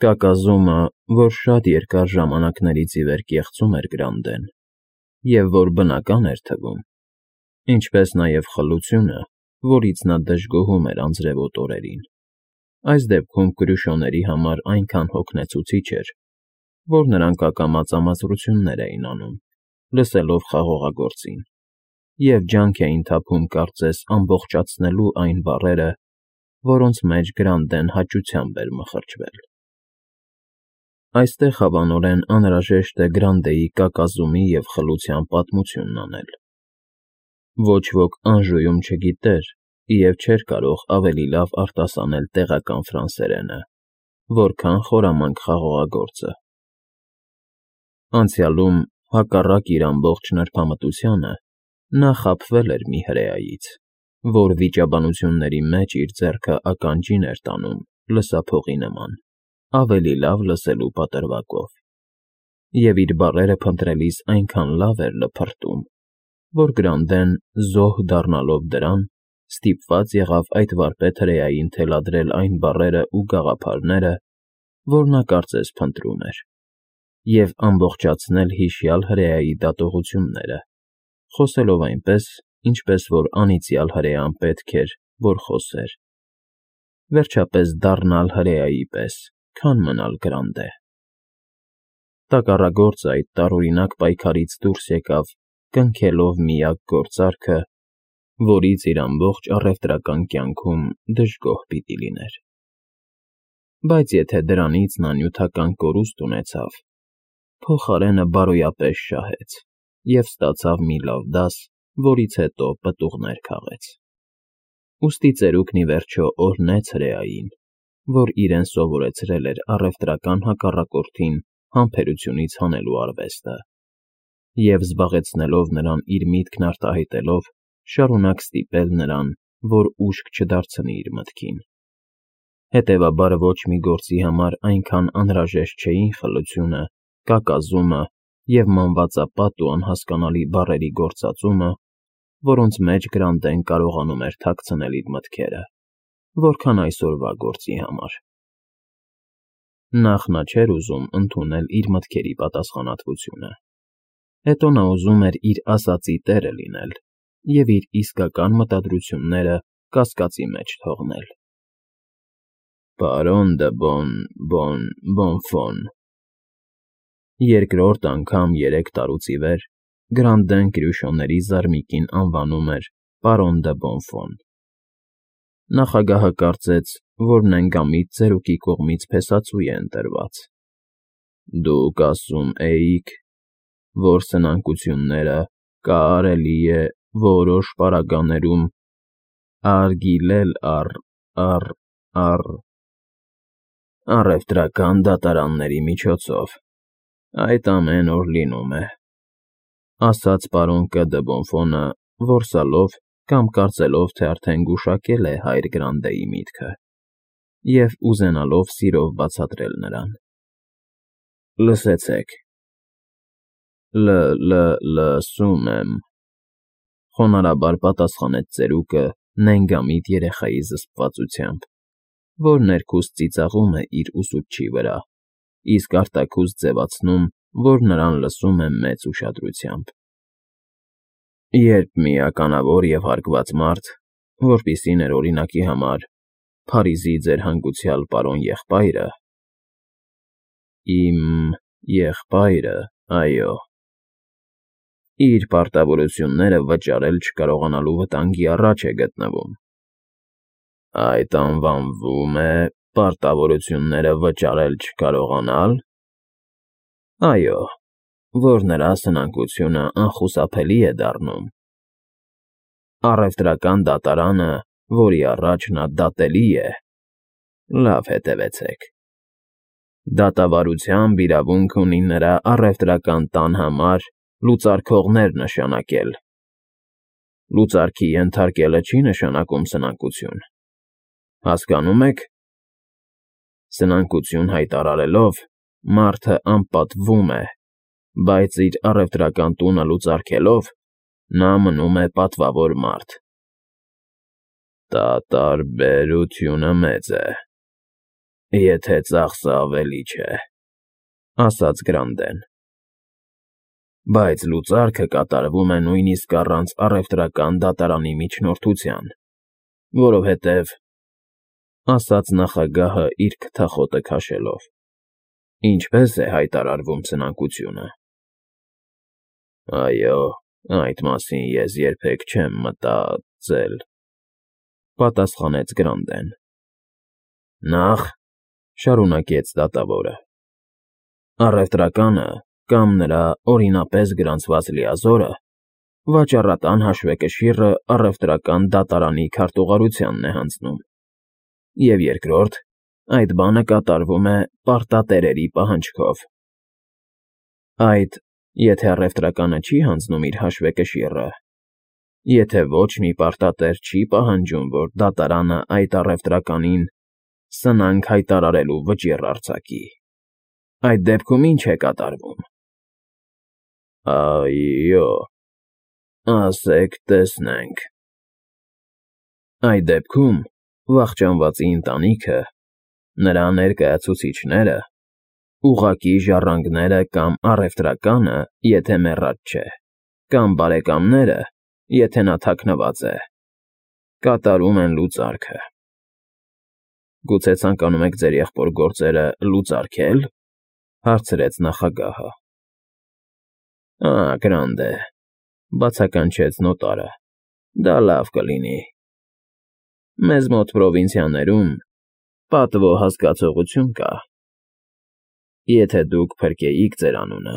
Կակազումը, որ շատ երկար ժամանակներից ի վեր կեղծում էր Գրանդեն, և որ բնական էր թվում, ինչպես նաև խլությունը, որից նա դժգոհում էր անձրևոտ օրերին, այս դեպքում կրուշոների համար այնքան հոգնեցուցիչ էր, որ նրանք ակամա ծամազրություններ էին անում, լսելով խաղողագործին, և ջանք էին թափում կարծես ամբողջացնելու այն բառերը, որոնց մեջ Գրանդեն հաճությամբ էր մխրճվել։ Այստեղ հավանորեն անհրաժեշտ է Գրանդեի կակազումի և խլության պատմությունն անել։ Ոչ ոք Անժուում չգիտեր և չէր կարող ավելի լավ արտասանել տեղական ֆրանսերենը, որքան խորամանկ խաղողագործը։ Անցյալում, հակառակ իր ամբողջ նրբամտությանը, նա խաբվել էր մի հրեայից, որ վիճաբանությունների մեջ իր ձեռքը ականջին էր տանում լսափողի նման, ավելի լավ լսելու պատրվակով, և իր բառերը փնտրելիս այնքան լավ էր լփրտում, որ Գրանդեն, զոհ դառնալով դրան, ստիպված եղավ այդ վարպետ հրեային թելադրել այն բառերը ու գաղափարները, որ նա կարծես փնտրում էր, և ամբողջացնել հիշյալ հրեայի դատողությունները, խոսելով այնպես, ինչպես որ անիծյալ հրեան պետք էր, որ խոսեր, վերջապես դառնալ հրեայի պես, քան մնալ Գրանդե։ Տակառագործը այդ տարօրինակ պայքարից դուրս եկավ կնքելով միակ գործարքը, որից իր ամբողջ առևտրական կյանքում դժգոհ պիտի լիներ։ Բայց եթե դրանից նա նյութական կորուստ ունեցավ, փոխարենը բարոյապես շահեց և ստացավ մի լավ դաս, որից հետո պտուղներ քաղեց։ Ուստի ծերուկն ի վերջո օրհնեց հրեային, որ իրեն սովորեցրել էր առևտրական հակառակորդին համբերությունից հանելու արվեստը, և զբաղեցնելով նրան իր միտքն արտահայտելով, շարունակ ստիպել նրան, որ ուշք չդարձնի իր մտքին։ Հետևաբար ոչ մի գործի համար այնքան անհրաժեշտ չէին խլությունը, կակազումը և մանվածապատ ու անհասկանալի բառերի գործածումը, որոնց մեջ Գրանդեն կարողանում էր թաքցնել իր մտքերը, որքան այսօրվա գործի համար։ Նախ նա չէր ուզում ընդունել իր մտքերի պատասխանատվությունը, հետո նա ուզում էր իր ասածի տերը լինել և իր իսկական մտադրությունները կասկածի մեջ թողնել։ Պարոն դը Բոնֆոն… Երկրորդ անգամ 3 տարուց ի վեր Գրանդեն կրյուշոների զարմիկին անվանում էր պարոն դը Բոնֆոն։ Նախագահը կարծեց, որ նենգամիտ ծերուկի կողմից փեսացու է ընտրված։ Դուք ասում էիք, որ սնանկությունները կարելի է որոշ պարագաներում արգիլել առևտրական դատարանների միջոցով։ Այդ ամեն օր լինում է, ասաց պարոն Կ. դը Բոնֆոնը, որսալով կամ կարծելով, թե արդեն գուշակել է հայր Գրանդեի միտքը, և ուզենալով սիրով բացատրել նրան։ Լսեցեք։ Լսում եմ, խոնարհաբար պատասխանեց ծերուկը նենգամիտ երեխայի զսպվածությամբ, որ ներքուստ ծիծաղում է իր ուսուցչի վրա, իսկ արտաքուստ ձևացնում, որ նրան լսում է մեծ ուշադրությամբ։ Երբ մի ականավոր և հարգված մարդ, որպիսին էր օրինակի համար Փարիզի ձեր հանգուցյալ պարոն եղբայրը… Իմ եղբայրը, այո, իր պարտավորությունները վճարել չկարողանալու վտանգի առաջ է գտնվում… Այդ անվանվում է պարտավորությունները վճարել չկարողանալ… Այո, որ նրա սնանկությունը անխուսափելի է դառնում… Առևտրական դատարանը, որի առաջ նա դատելի է… Լավ հետևեցեք… Դատավարությամբ իրավունք ունի նրա առևտրական տան համար լուծարքողներ նշանակել… Լուծարքի ենթարկելը չի նշանակում սնանկություն… Հասկանո՞ւմ եք… Սնանկություն հայտարարելով, մարդը անպատվում է, բայց իր առևտրական տունը լուծարքելով, նա մնում է պատվավոր մարդ… Տարբերությունը մեծ է… Եթե ծախսը ավելի չէ, ասաց Գրանդեն։ Բայց լուծարքը կատարվում է նույնիսկ առանց առևտրական դատարանի միջնորդության, որովհետև, ասաց նախագահը իր քթախոտը քաշելով, ինչպես է հայտարարվում սնանկությունը։ Այո, այդ մասին ես երբեք չեմ մտածել, պատասխանեց Գրանդեն։ Նախ, շարունակեց դատավորը, առևտրականը կամ նրա օրինապես գրանցված լիազորը վաճառատան հաշվեկշիռը առևտրական դատարանի քարտուղարությանն է հանձնում, և երկրորդ, այդ բանը կատարվում է պարտատերերի պահանջքով։ Այդ, եթե առևտրականը չի հանձնում իր հաշվեկշիռը, եթե ոչ մի պարտատեր չի պահանջում, որ դատարանը այդ առևտրականին սնանկ հայտարարելու վճիռ արձակի, այդ դեպքում ինչ է կատարվում։ Այո, ասեք տեսնենք։ Այդ դեպքում վախճանվածի ընտանիքը, նրա ներկայացուցիչները, ուղղակի ժառանգները կամ առևտրականը, եթե մեռած չէ, կամ բարեկամները, եթե նա թաքնված է, կատարում են լուծարքը։ Գուցե ցանկանում եք ձեր եղբոր գործերը լուծարքել, հարցրեց նախագահը։ Գրանդ է, բացականչեց նոտարը, դա լավ կլինի։ Մեզ մոտ պրովինցիաներում պատվո հասկացողություն կա։ Եթե դուք փրկեիք ձեր անունը,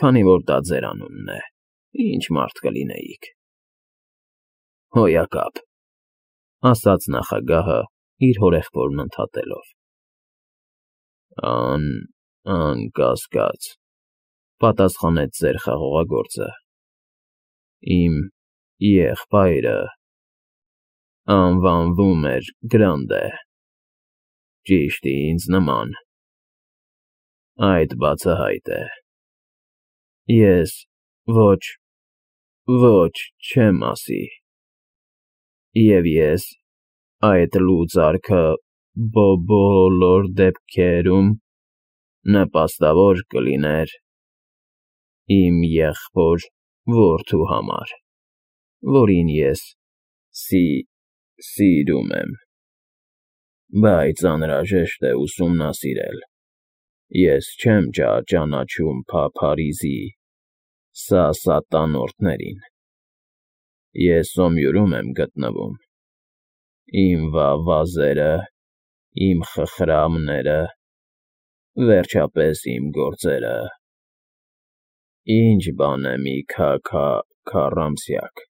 քանի որ դա ձեր անունն է, ինչ մարդ կլինեիք։ Հոյակապ, ասաց նախագահը իր հորեղբորն ընդհատելով։ Անկասկած, պատասխանեց ձեր խաղողագործը։ Իմ եղբայրը անվանվում էր Գրանդ է, ճիշտ ինձ նման։ Այդ բացահայտ է։ Ես ոչ չեմ ասի։ Եվ ես այդ լուծարքը բոլոր դեպքերում նպաստավոր կլիներ իմ եղբոր որդու համար, որին ես սիրում եմ, բայց անհրաժեշտ է ուսումնասիրել։ Ես չեմ ճանաչում Փարիզի սատանորդներին։ Ես Սոմյուրում եմ գտնվում։ Իմ վազերը, իմ խխրամները, վերջապես իմ գործերը։ Ինչ բան է մի քառամսյակ։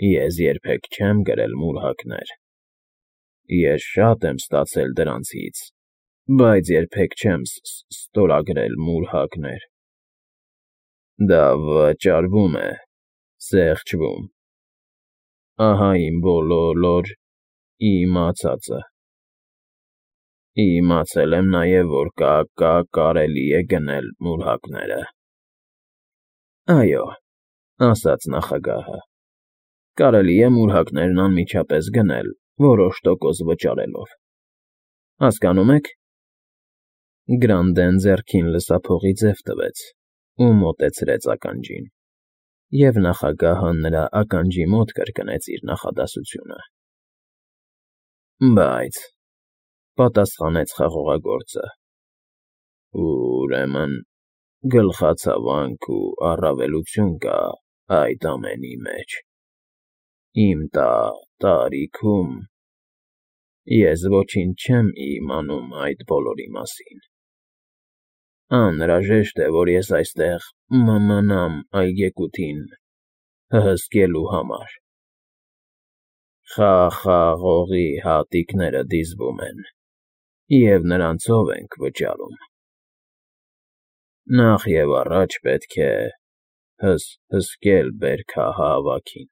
Ես երբեք չեմ գրել մուրհակներ։ Ես շատ եմ ստացել դրանցից, բայց երբեք չեմ ստորագրել մուրհակներ։ Դա վճարվում է, զեղչվում։ Ահա իմ բոլոր իմացածը։ Իմացել եմ նաև, որ կարելի է գնել մուրհակները։ Այո, ասաց նախագահը, կարելի է մուրհակներն անմիջապես գնել, որոշ տոկոս վճարելով։ Հասկանում եք։ Գրանդեն ձեռքին լսափողի ձև տվեց ու մոտեցրեց ականջին, և նախագահը նրա ականջի մոտ կրկնեց իր նախադասությունը։ Բայց, պատասխանեց խաղողագործը, ուրեմն գլխացավանք ու առավելություն կա այդ ամենի մեջ։ Իմ տարիքում ես ոչինչ չեմ իմանում այդ բոլորի մասին։ Անհրաժեշտ է, որ ես այստեղ մնամ այգեկութին հսկելու համար։ Խաղողի հատիկները դիզվում են, և նրանցով ենք վճարում։ Նախ և առաջ պետք է հսկել բերքահավաքին։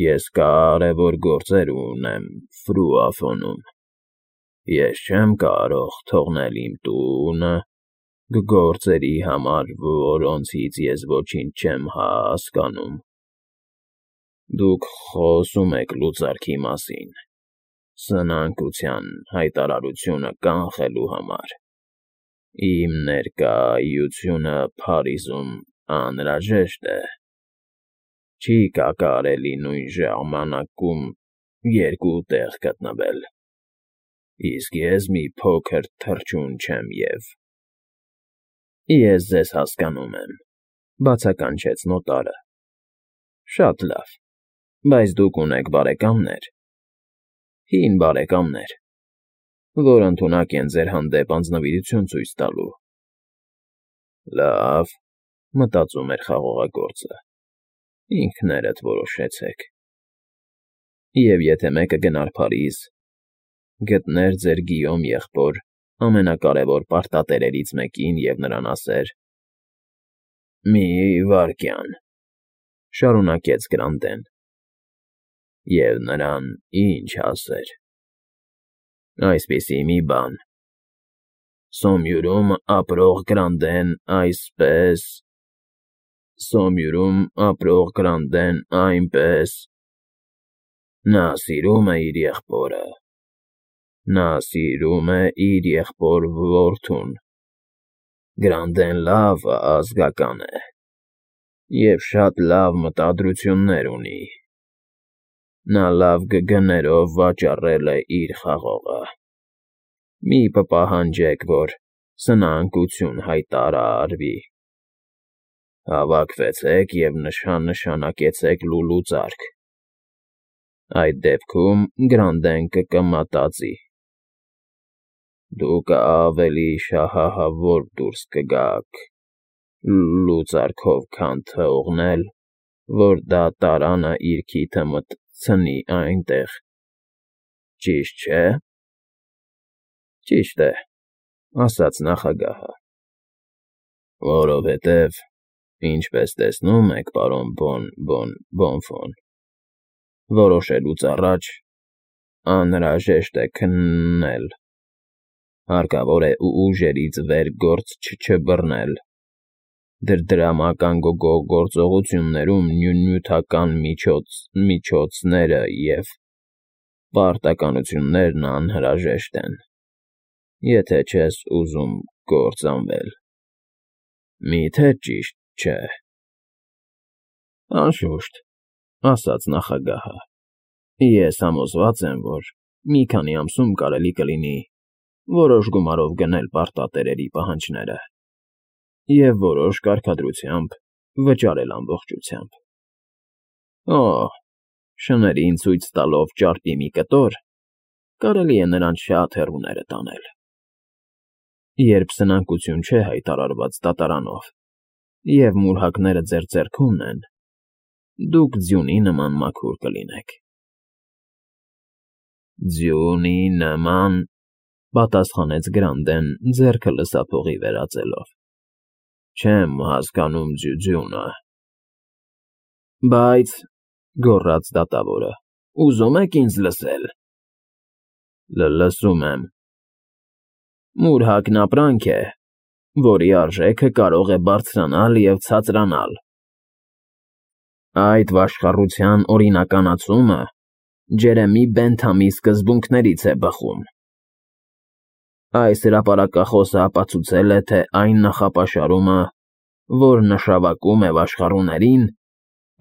Ես կարևոր գործեր ունեմ Ֆրուաֆոնում։ Ես չեմ կարող թողնել իմ տունը գործերի համար, որոնցից ես ոչինչ չեմ հասկանում։ Դուք խոսում եք լուծարքի մասին, Սնանկության հայտարարությունը կանխելու համար իմ ներկայությունը Փարիզում անհրաժեշտ է։ Չի կարելի նույն ժամանակում երկու տեղ գտնվել, իսկ ես մի փոքր թռչուն չեմ և… Ես ձեզ հասկանում եմ, բացականչեց նոտարը։ Շատ լավ, բայց դուք ունեք բարեկամներ, հին բարեկամներ, որ ընդունակ են ձեր հանդեպ անձնվիրություն ցույց տալու։ Լավ, մտածում էր խաղողագործը, ինքներդ որոշեցեք։ Եվ եթե մեկը գնար Փարիզ, գտներ ձեր Գիյոմ եղբոր ամենակարևոր պարտատերերից մեկին և նրան ասեր. «Մի վայրկյան», շարունակեց Գրանտեն, և նրան ինչ ասեր։ Այսպիսի մի բան. Սոմյուրում ապրող Գրանտեն այսպես, Սոմյուրում ապրող Գրանտեն այնպես… Նա սիրում է իր եղբորը, նա սիրում է իր եղբոր որդուն, Գրանտեն լավ ազգական է և շատ լավ մտադրություններ ունի, նա լավ գներով վաճառել է իր խաղողը։ Մի պահանջեք, որ սնանկություն հայտարարվի։ Հավաքվեցեք և նշանակեցեք լուլուծարք։ Այդ դեպքում Գրանտեն կմտածի. Դուք ավելի շահահավոր դուրս կգաք լուծարքով, քան թողնել, որ դատարանը իր քիթը մտցնի այնտեղ, ճիշտ չէ՞։ Ճիշտ է, ասաց նախագահը։ Որովհետև, ինչպես տեսնում եք, պարոն Բոնֆոն, որոշելուց առաջ անհրաժեշտ է քննել, հարկավոր է ուժերից վեր գործ չբռնել, դրամական գործողություններում նյութական միջոցները և պարտականություններն անհրաժեշտ են, եթե չես ուզում կործանվել։ Մի՞թե ճիշտ չէ։ Անշուշտ, ասաց նախագահը, ես համոզված եմ, որ մի քանի ամսում կարելի կլինի որոշ գումարով գնել պարտատերերի պահանջները և որոշ կարգադրությամբ վճարել ամբողջությամբ։ Շներին ցույց տալով ճարպի մի կտոր, կարելի է նրանց շատ հեռուները տանել։ Երբ սնանկություն չէ հայտարարված դատարանով, և մուրհակները ձեր ձեռքումն են, դուք ձյունի նման մաքուր կլինեք։ Ձյունի նման, պատասխանեց Գրանտեն ձեռքը լսափողի վերածելով։ Չեմ հասկանում ձյունը։ Բայց, գոռաց դատավորը, ուզում եք ինձ լսել։ Լսում եմ։ Մուրհակն ապրանք է, որի արժեքը կարող է բարձրանալ և ցածրանալ։ Այդ վաշխառության օրինականացումը Ջերեմի Բենթամի սկզբունքներից է բխում։ Այս հրապարակախոսը ապացուցել է, թե այն նախապաշարումը, որ նշավակում է վաշխառուներին,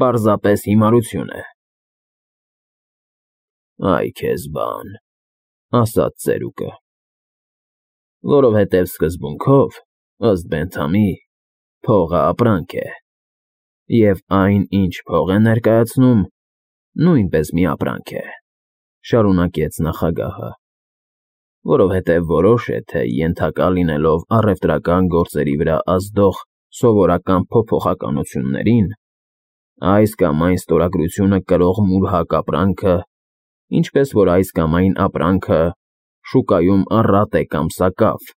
պարզապես հիմարություն է։ Այ քեզ բան, ասաց ծերուկը։ Որովհետև սկզբունքով, ըստ Բենթամի, փողը ապրանք է, և այն, ինչ փող է ներկայացնում, նույնպես մի ապրանք է, շարունակեց նախագահը, որովհետև որոշ է, թե ենթակա լինելով առևտրական գործերի վրա ազդող սովորական փոփոխականություններին, այս կամ այն ստորագրությունը կրող մուրհակ ապրանքը, ինչպես որ այս կամ այն ապրանքը շուկայում առատ է կամ սակավ,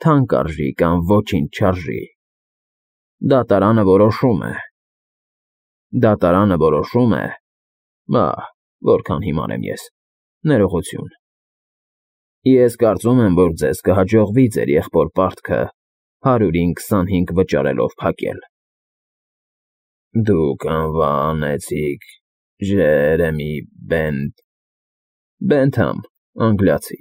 թանկ արժի կամ ոչինչ չարժի, դատարանը որոշում է, որքան հիմար եմ ես, ներողություն։ Ես կարծում եմ, որ ձեզ կհաջողվի ձեր եղբոր պարտքը 100-ին 25 վճարելով փակել։ Դուք անվանեցիք Ջերեմի Բենթամ, անգլիացի։